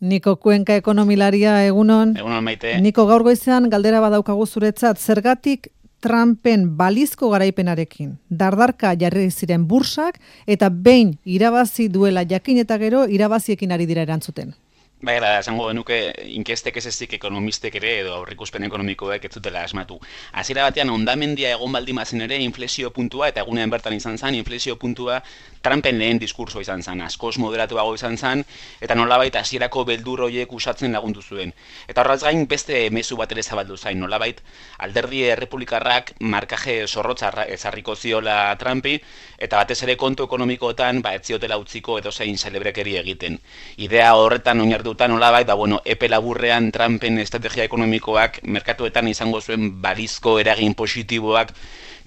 Niko Kuenka ekonomilaria, egunon. Egunon, Maite. Niko, gaur goizean galdera badaukagu zuretzat, zergatik Trumpen balizko garaipenarekin dardarka jarri ziren bursak eta behin irabazi duela jakin eta gero irabaziekin ari dira erantzuten. Baina, esango genuke, inkestek ez ezik ekonomistek ere edo aurreikuspen ekonomikoek ez zutela asmatu. Hasiera batean ondamendia egon baldimazen ere inflexio puntua, eta egunean bertan izan zen, inflexio puntua Trumpen lehen diskurso izan zen, askoz moderatuago izan zen, eta nolabait hasierako beldur horiek usatzen lagundu zuen. Eta horraz gain beste mezu bat ere zabaldu zain, nolabait alderdi errepublikarrak markaje zorrotza ezarriko ziola Trumpi, eta batez ere kontu ekonomikoetan ez ziotela utziko edozein celebrekeri egiten. Idea horretan oinarrituta nolabait, epe laburrean Trumpen estrategia ekonomikoak merkatuetan izango zuen balizko eragin positiboak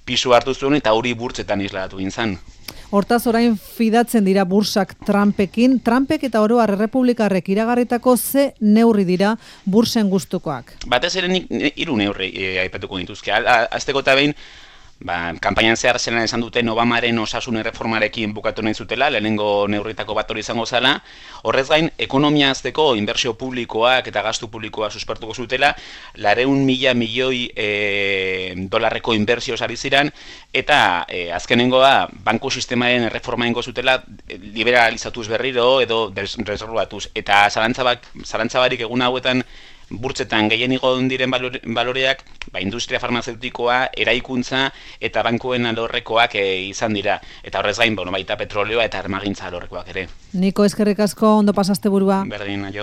pisu hartu zuen eta hori burtsetan isladatu gintzan. Hortaz orain fidatzen dira bursak Trumpekin, Trumpek eta oro har errepublikarrek iragarritako ze neurri dira bursen gustukoak. Batez ere nik 3 neurri aipatuko dituzke. Hasteko eta behin, kanpainan zehar zelan esan duten Obamaren osasun erreformarekin bukatu nahi zutela, lehenengo neurritako bat hori izango zela. Horrez gain, ekonomia hazteko inbertsio publikoak eta gastu publikoa suspertuko zutela, 400.000 milioi dolarreko inbertsio sari ziren, eta azkenengoa banku sistemaren erreforma ingo zutela liberalizatuz berriro edo reservatuz. Eta zalantzabarik egun hauetan burtsetan gehien igo diren baloreak, industria farmazeutikoa, eraikuntza eta bankuen alorrekoak izan dira. Eta horrez gain, baita petroleoa eta armagintza alorrekoak ere. Niko, eskerrik asko, ondo pasaste burua. Berdin, aio.